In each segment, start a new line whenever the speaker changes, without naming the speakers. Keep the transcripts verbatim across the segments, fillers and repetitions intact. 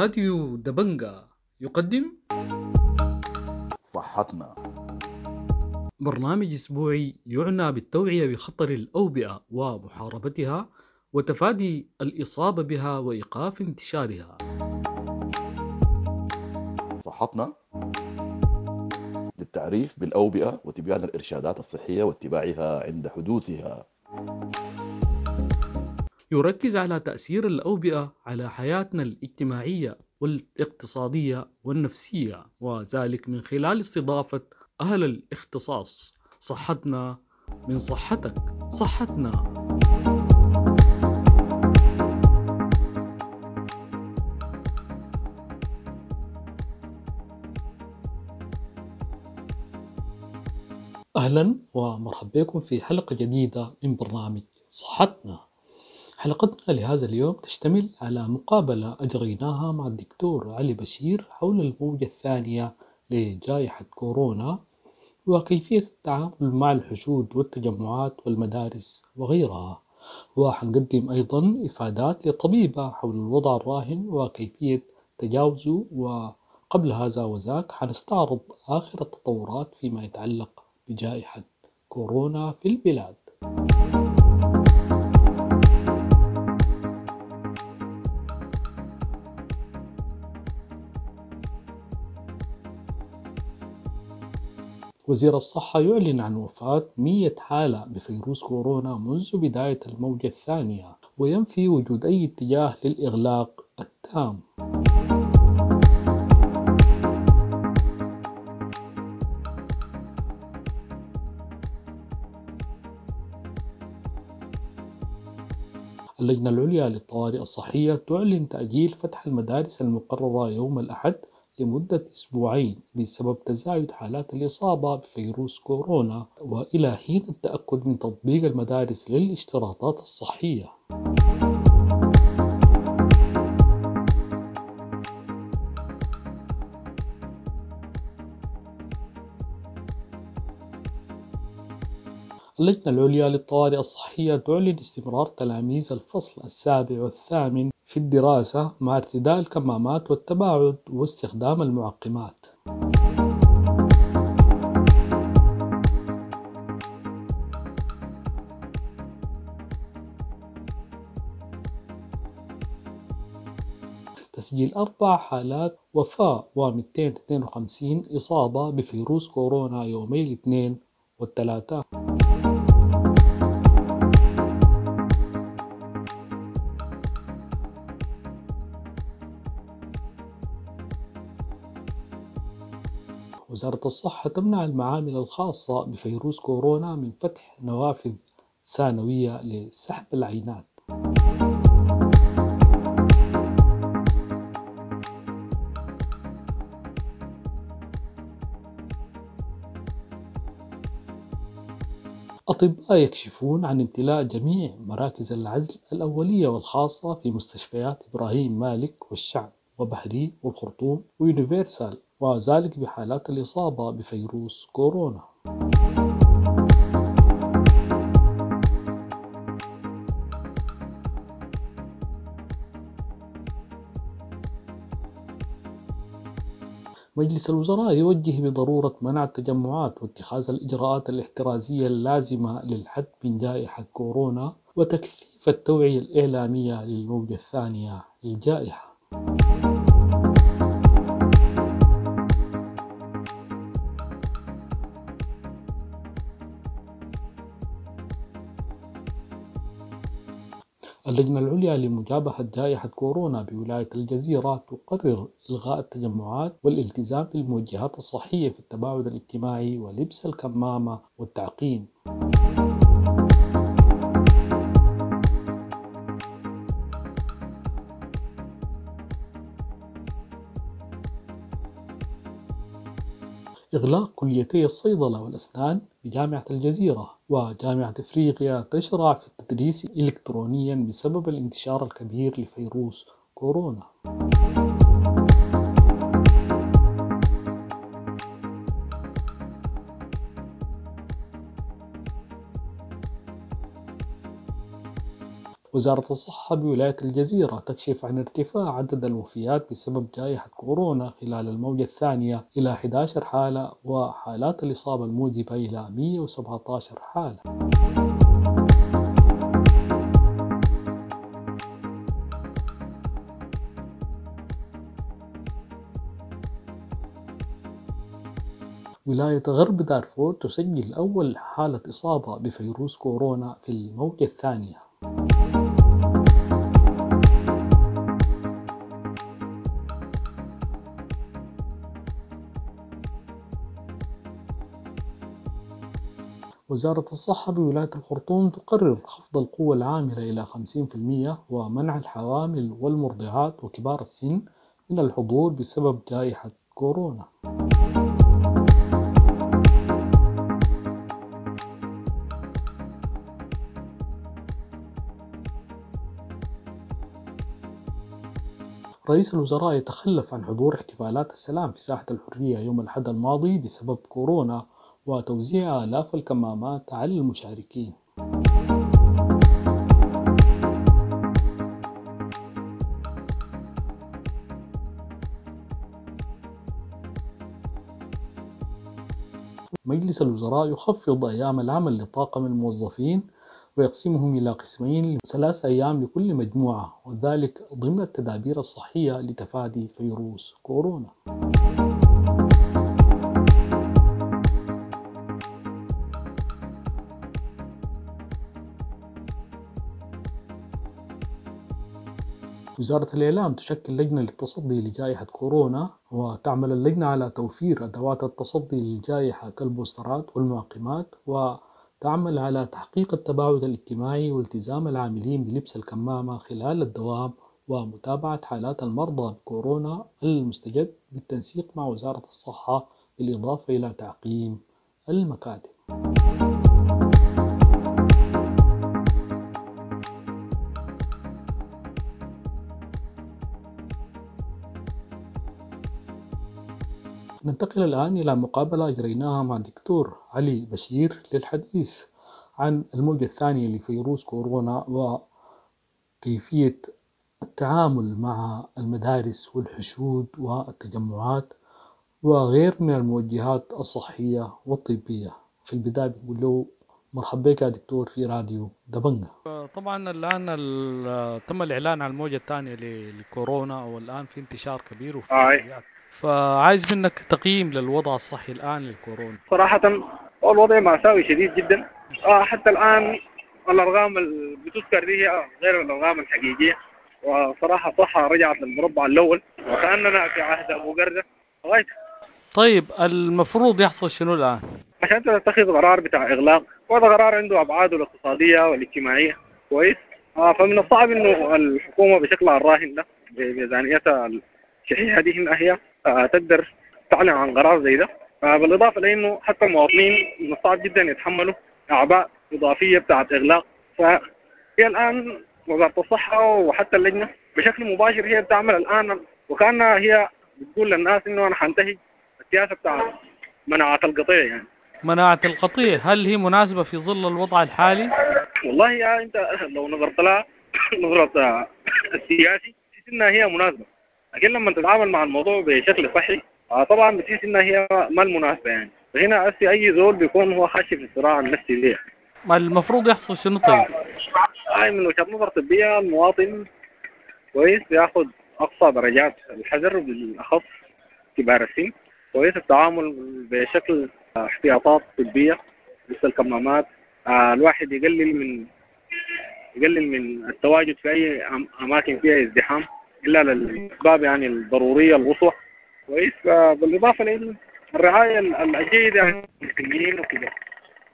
راديو دبنجا يقدم
صحتنا.
برنامج أسبوعي يعنى بالتوعية بخطر الأوبئة ومحاربتها وتفادي الإصابة بها وإيقاف انتشارها.
صحتنا للتعريف بالأوبئة وتبيان الإرشادات الصحية واتباعها عند حدوثها.
يركز على تأثير الأوبئة على حياتنا الاجتماعية والاقتصادية والنفسية، وذلك من خلال استضافة أهل الاختصاص. صحتنا من صحتك، صحتنا. أهلا ومرحبا بكم في حلقة جديدة من برنامج صحتنا. حلقتنا لهذا اليوم تشتمل على مقابلة أجريناها مع الدكتور علي بشير حول الموجة الثانية لجائحة كورونا وكيفية التعامل مع الحشود والتجمعات والمدارس وغيرها، وحنقدم أيضا إفادات لطبيبة حول الوضع الراهن وكيفية تجاوزه. وقبل هذا وذاك حنستعرض آخر التطورات فيما يتعلق بجائحة كورونا في البلاد. وزير الصحة يعلن عن وفاة مئة حالة بفيروس كورونا منذ بداية الموجة الثانية، وينفي وجود أي اتجاه للإغلاق التام. اللجنة العليا للطوارئ الصحية تعلن تأجيل فتح المدارس المقررة يوم الأحد لمدة أسبوعين بسبب تزايد حالات الإصابة بفيروس كورونا، وإلى حين التأكد من تطبيق المدارس للاشتراطات الصحية. اللجنة العليا للطوارئ الصحية تعلن استمرار تلاميذ الفصل السابع والثامن في الدراسة مع ارتداء الكمامات والتباعد واستخدام المعقمات. تسجيل أربع حالات وفاة ومئتين واثنين وخمسين إصابة بفيروس كورونا يومي الاثنين والثلاثاء. وزارة الصحة تمنع المعامل الخاصة بفيروس كورونا من فتح نوافذ ثانوية لسحب العينات. أطباء يكشفون عن امتلاء جميع مراكز العزل الأولية والخاصة في مستشفيات إبراهيم مالك والشعب وبحري والخرطوم ويونيفرسال، وذلك بحالات الإصابة بفيروس كورونا. مجلس الوزراء يوجه بضرورة منع التجمعات واتخاذ الإجراءات الاحترازية اللازمة للحد من جائحة كورونا وتكثيف التوعية الإعلامية للموجة الثانية للجائحة. اللجنة العليا لمجابهة جائحة كورونا بولاية الجزيرة تقرر إلغاء التجمعات والالتزام بالموجهات الصحية في التباعد الاجتماعي ولبس الكمامة والتعقيم. إغلاق كليتي الصيدلة والأسنان بجامعة الجزيرة وجامعة إفريقيا تشرع في التدريس إلكترونيا بسبب الانتشار الكبير لفيروس كورونا. وزارة الصحة بولاية الجزيرة تكشف عن ارتفاع عدد الوفيات بسبب جائحة كورونا خلال الموجة الثانية إلى إحدى عشرة حالة، وحالات الإصابة الموجبة إلى مئة وسبعة عشر حالة. ولاية غرب دارفور تسجل أول حالة إصابة بفيروس كورونا في الموجة الثانية. وزارة الصحة بولاية الخرطوم تقرر خفض القوة العاملة إلى خمسين في المئة ومنع الحوامل والمرضعات وكبار السن من الحضور بسبب جائحة كورونا. رئيس الوزراء يتخلف عن حضور احتفالات السلام في ساحة الحرية يوم الأحد الماضي بسبب كورونا وتوزيع آلاف الكمامات على المشاركين. مجلس الوزراء يخفض أيام العمل لطاقم الموظفين ويقسمهم إلى قسمين ثلاث أيام لكل مجموعة، وذلك ضمن التدابير الصحية لتفادي فيروس كورونا. وزارة الإعلام تشكل لجنة للتصدي لجائحة كورونا، وتعمل اللجنة على توفير أدوات التصدي للجائحة كالبوسترات والمعقمات، وتعمل على تحقيق التباعد الاجتماعي والتزام العاملين بلبس الكمامة خلال الدوام ومتابعة حالات المرضى بكورونا المستجد بالتنسيق مع وزارة الصحة، بالإضافة إلى تعقيم المكاتب. ننتقل الآن إلى مقابلة أجريناها مع الدكتور علي بشير للحديث عن الموجة الثانية لفيروس كورونا وكيفية التعامل مع المدارس والحشود والتجمعات وغير من الموجهات الصحية والطبية. في البداية بنقول له مرحبا بك يا دكتور في راديو دبنجة. طبعا الآن تم الإعلان عن الموجة الثانية للكورونا، والآن في انتشار كبير وفي آه. فعايز منك تقييم للوضع الصحي الآن للكورونا.
صراحة الوضع مأساوي شديد جدا. آه حتى الآن الأرقام اللي بتذكر دي هي غير الأرقام الحقيقية، وصراحة الصحة رجعت للمربع الأول وكأننا في عهد أبو قردة.
طيب المفروض يحصل شنو الآن؟
عشان تتخذ قرار بتاع إغلاق، وهذا قرار عنده أبعاده الاقتصادية والاجتماعية. كويس. آه فمن الصعب إنه الحكومة بشكلها الراهن ده بميزانيتها الشحيحة دي هي آه تقدر تعلن عن قرار زي ده. آه بالإضافة لأنه حتى المواطنين من الصعب جدا يتحملوا أعباء إضافية بتاعت إغلاق. فهي الآن وزارة الصحة وحتى اللجنة بشكل مباشر هي بتعمل الآن وكأنها هي بتقول للناس إنه أنا حنتهج السياسة بتاعت مناعة القطيع. يعني
مناعة القطيع هل هي مناسبة في ظل الوضع الحالي؟
والله يا أنت لو نظرت لها نظرة السياسي تحس إنها هي مناسبة، لكن لما تتعامل مع الموضوع بشكل صحي طبعا بتحس انها هي ما المناسبه يعني. فهنا هسي اي زول بيكون هو خاشي في الصراع النفسي ده.
ما المفروض يحصل شنو طيب؟
هاي من وجهه نظر طبيه المواطن كويس ياخذ اقصى درجات الحذر، بالاخص كبار السن. كويس التعامل بشكل احتياطات طبيه مثل الكمامات. الواحد يقلل من يقلل من التواجد في اي اماكن فيها ازدحام إلا للأسباب يعني الضرورية القصوى. كويس. بالإضافة للرعاية الجيدة يعني للمسنين وكده.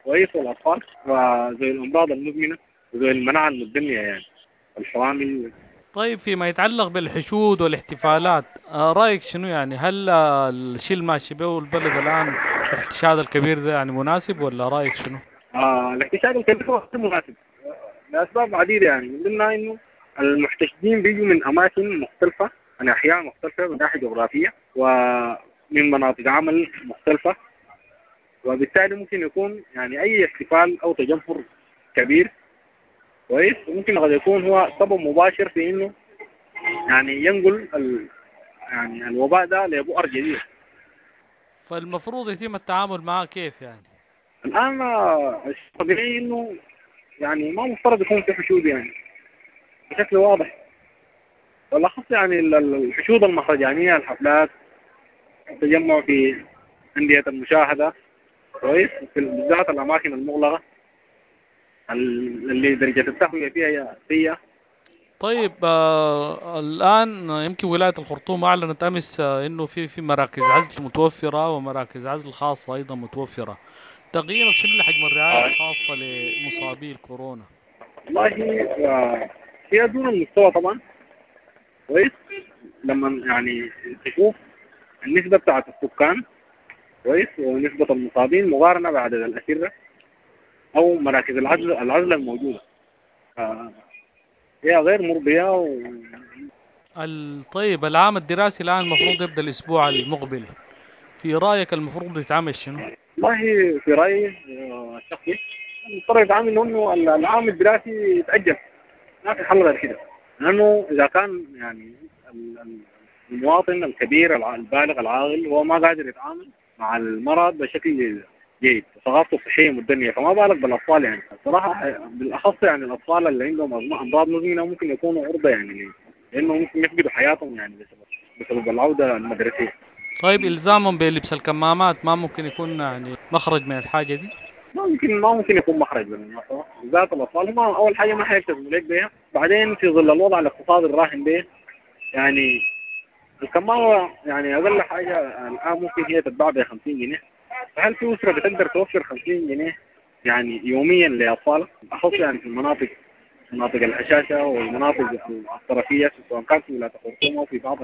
كويس. والأطفال وزي الأمراض المزمنة وزي المناعة المتدنية يعني الحوامل.
طيب فيما يتعلق بالحشود والاحتفالات رأيك شنو يعني؟ هل الشيء الماشي به البلد الآن الاحتشاد الكبير ده يعني مناسب ولا رأيك شنو؟
آه الاحتشاد الكبير هو مناسب لأسباب عديدة يعني، من ضمنها إنه المحتشدين بيجوا من أماكن مختلفة، من أحياء مختلفة من ناحية جغرافية ومن مناطق عمل مختلفة، وبالتالي ممكن يكون يعني أي احتفال أو تجمهر كبير كويس، ممكن قد يكون هو سبب مباشر في إنه يعني ينقل ال يعني الوباء ده لبؤر جديد.
فالمفروض يتم التعامل معه كيف يعني؟
الآن الطبيعي إنه يعني ما مفترض يكون في حشود يعني بشكل واضح، والأخص يعني الحشود المهرجانية، الحفلات، التجمع في أندية المشاهدة، كويس، بالذات الأماكن المغلقة اللي درجة التهوية فيها سيئة.
طيب آه الآن يمكن ولاية الخرطوم أعلنت أمس آه إنه في في مراكز عزل متوفرة ومراكز عزل خاصة أيضا متوفرة. تقييمك شنو لحجم الرعاية الخاصة لمصابي الكورونا؟
والله هي دون المستوى طبعا. كويس، لما يعني تشوف النسبة بتاعت السكان كويس ونسبة المصابين مقارنة بعدد الأسرة أو مراكز العزل العزل الموجودة، هي غير مرضية. و...
طيب العام الدراسي الآن المفروض يبدأ الأسبوع المقبل، في رأيك المفروض يتعامل شنو؟
والله في رأيي الشخصي المفترض يتعامل إنه العام الدراسي يتأجل، ما في حل غير كده، لأنه إذا كان يعني المواطن الكبير البالغ العاقل هو ما قادر يتعامل مع المرض بشكل جيد، ثقافته الصحية متدنية، فما بالك بالأطفال يعني. الصراحة بالأخص يعني الأطفال اللي عندهم أمراض مزمنة ممكن يكونوا عرضة يعني لأنه ممكن يفقدوا حياتهم يعني بسبب بسبب العودة المدرسية.
طيب إلزامهم بلبس الكمامات ما ممكن يكون يعني مخرج من الحاجة دي؟
ما ممكن ما ممكن يكون مخرج بالمناسبة، بالذات الأطفال هم أول حاجة ما حيلتزموا لك بها، بعدين في ظل الوضع الاقتصادي الراهن به يعني الكمامة يعني أقل حاجة الآن ممكن هي تتباع ب خمسين جنيه، فهل في أسرة بتقدر توفر خمسين جنيه يعني يوميا لأطفالها؟ أخص يعني في المناطق مناطق الهشاشة والمناطق الطرفية سواء كانت في ولاية الخرطوم أو في بعض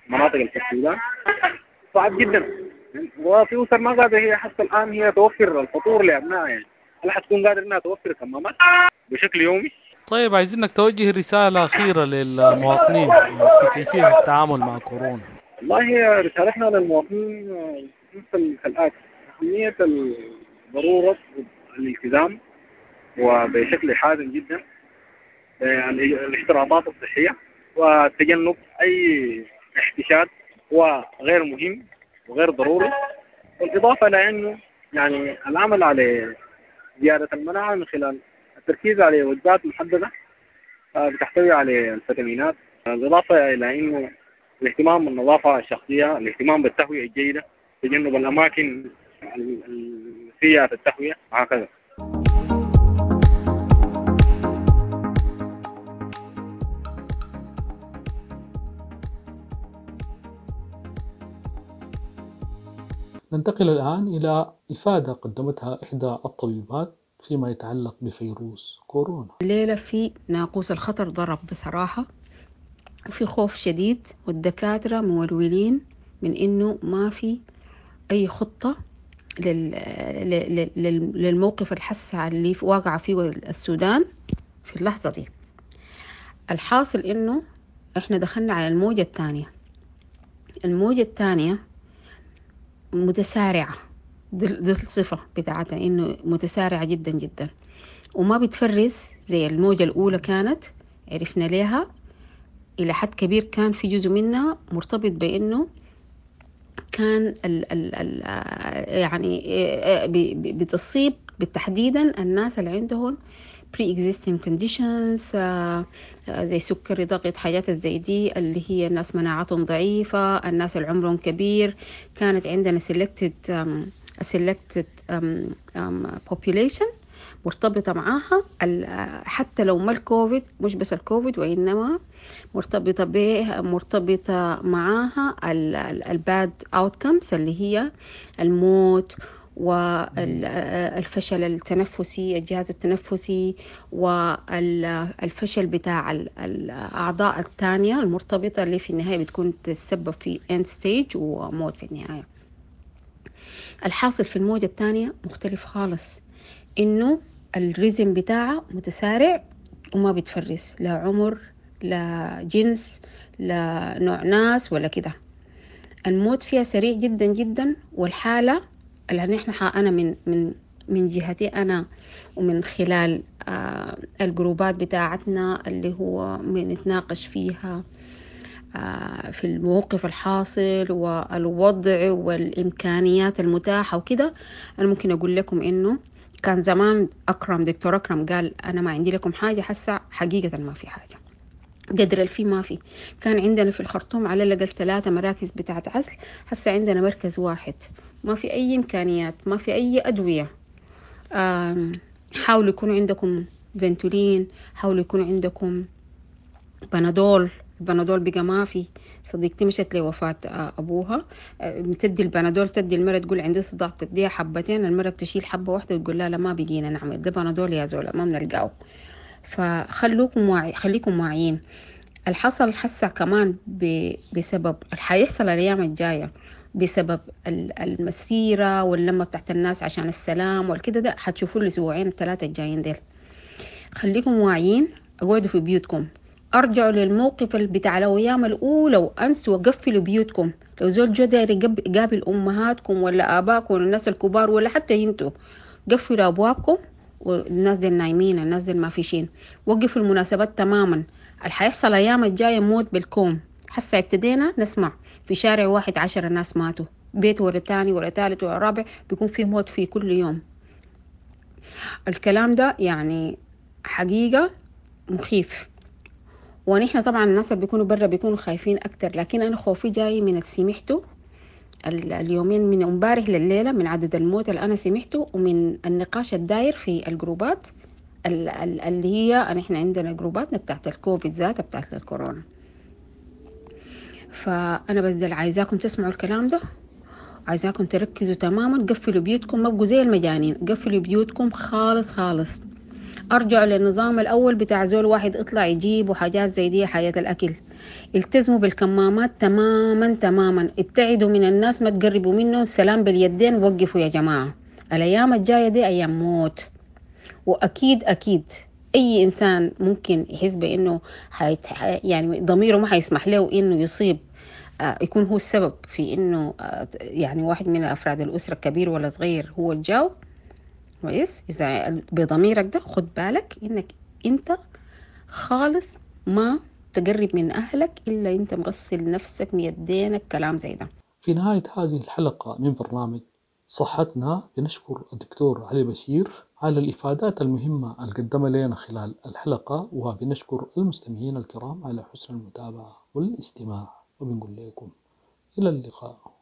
المناطق في السودان صعب جدا. وفي أسر ما قادرة هي حتى الآن هي توفر الفطور لأبنائها، يعني هل حتكون قادرة إنها توفر كمامات بشكل يومي؟
طيب عايزينك توجه رسالة أخيرة للمواطنين في كيفية التعامل مع كورونا.
والله رسالتنا للمواطنين مثل كالآتي: أهمية ضرورة الالتزام وبشكل حازم جدا الاشتراطات الصحية وتجنب أي احتشاد هو غير مهم وغير ضروري، والإضافة لأنه يعني العمل على زيادة المناعة من خلال التركيز على وجبات محددة بتحتوي على الفيتامينات، بالإضافة إلى أنه الاهتمام بالنظافة الشخصية، الاهتمام بالتهوية الجيدة، تجنب الأماكن السيئة في التهوية وهكذا.
ننتقل الآن إلى إفادة قدمتها إحدى الطبيبات فيما يتعلق بفيروس كورونا.
الليلة في ناقوس الخطر ضرب بصراحة، وفي خوف شديد، والدكاترة مولولين من إنه ما في أي خطة لل... لل... للموقف الحسع اللي واقع فيه السودان في اللحظة دي. الحاصل إنه إحنا دخلنا على الموجة الثانية. الموجة الثانية متسارعة، دي الصفة بتاعتها إنه متسارعة جدا جدا، وما بتفرز زي الموجة الأولى كانت عرفنا ليها إلى حد كبير. كان في جزء منها مرتبط بإنه كان ال ال ال يعني بتصيب بالتحديدا الناس اللي عندهم pre-existing conditions زي سكري، ضغط، حاجات زي دي، اللي هي الناس مناعتهم ضعيفة، الناس اللي عمرهم كبير. كانت عندنا selected selected population مرتبطة معاها حتى لو ما الكوفيد، مش بس الكوفيد وإنما مرتبطة به مرتبطة معاها ال bad outcomes اللي هي الموت والفشل التنفسي، الجهاز التنفسي، والفشل بتاع الأعضاء الثانية المرتبطة اللي في النهاية بتكون تتسبب في end stage وموت في النهاية. الحاصل في الموجة الثانية مختلف خالص، إنه ال rhythm بتاعه متسارع وما بتفرز لا عمر لا جنس لا نوع ناس ولا كده. الموت فيها سريع جدا جدا، والحالة اللي نحن أنا من من من جهتي أنا ومن خلال آه الجروبات بتاعتنا اللي هو بنتناقش فيها آه في الموقف الحاصل والوضع والإمكانيات المتاحة وكده، أنا ممكن أقول لكم إنه كان زمان أكرم، دكتور أكرم قال أنا ما عندي لكم حاجة، حسا حقيقة ما في حاجة، قدر الفي ما في. كان عندنا في الخرطوم على الأقل ثلاثة مراكز بتاعت عزل، هسه عندنا مركز واحد، ما في أي إمكانيات، ما في أي أدوية. حاولوا يكون عندكم فنتولين، حاولوا يكون عندكم بنادول، البنادول بقى ما في. صديقتي مشت لوفاة أبوها، بتدي البنادول، تدي المرة تقول عندي صداع، تديها حبتين، المرة بتشيل حبة واحدة وتقول لا لا ما بقينا نعمل ده بنادول يا زولا، ما بنلقاه. فخلوكم واعي، خليكم واعيين. الحصل حسا كمان بسبب حيحصل الأيام الجاية بسبب المسيرة واللمة بتاعت الناس عشان السلام والكده، ده حتشوفوا الأسبوعين الثلاثة الجايين ديل. خليكم واعيين، اقعدوا في بيوتكم، ارجعوا للموقف بتاع الايام الاولى وانسوا وقفلوا بيوتكم. لو زول جو داير يقابل امهاتكم ولا اباكم ولا الناس الكبار ولا حتى انتوا، قفلوا ابوابكم، والناس دي نايمين، الناس دي ما فيشين. وقفوا المناسبات تماما. اللي حيحصل الايام الجايه موت بالكوم. حسا ابتدينا نسمع في شارع واحد عشرة ناس ماتوا، بيت ورا تاني ورا تالت ورا رابع، بيكون فيه موت في كل يوم. الكلام ده يعني حقيقة مخيف، ونحن طبعا الناس اللي بيكونوا برا بيكونوا خايفين أكتر، لكن أنا خوفي جاي من اللي سمعته اليومين من امبارح لليلة، من عدد الموت اللي أنا سمعته، ومن النقاش الداير في الجروبات اللي هي نحن عندنا جروباتنا بتاعت الكوفيد ذاتها بتاعت الكورونا. فأنا بس ده عايزاكم تسمعوا الكلام ده، عايزاكم تركزوا تماما، قفلوا بيوتكم، ما بقوا زي المجانين، قفلوا بيوتكم خالص خالص. أرجعوا للنظام الأول بتاع زول واحد اطلع يجيب وحاجات زي دي، حاجات الأكل. التزموا بالكمامات تماما تماما، ابتعدوا من الناس، ما تقربوا منهم، سلام باليدين، وقفوا يا جماعة. الأيام الجاية دي أيام موت، وأكيد أكيد أي إنسان ممكن يحس بأنه حيت... يعني ضميره ما حيسمح له إنه يصيب، آه يكون هو السبب في إنه آه يعني واحد من أفراد الأسرة كبير ولا صغير هو الجاو. كويس، إذا بضميرك ده خد بالك إنك أنت خالص ما تقرب من أهلك إلا أنت مغسل نفسك ميدينك، كلام زي ده.
في نهاية هذه الحلقة من برنامج صحتنا بنشكر الدكتور علي بشير على الإفادات المهمة اللي قدمها لنا خلال الحلقة، وبنشكر المستمعين الكرام على حسن المتابعة والاستماع، وبنقول لكم إلى اللقاء.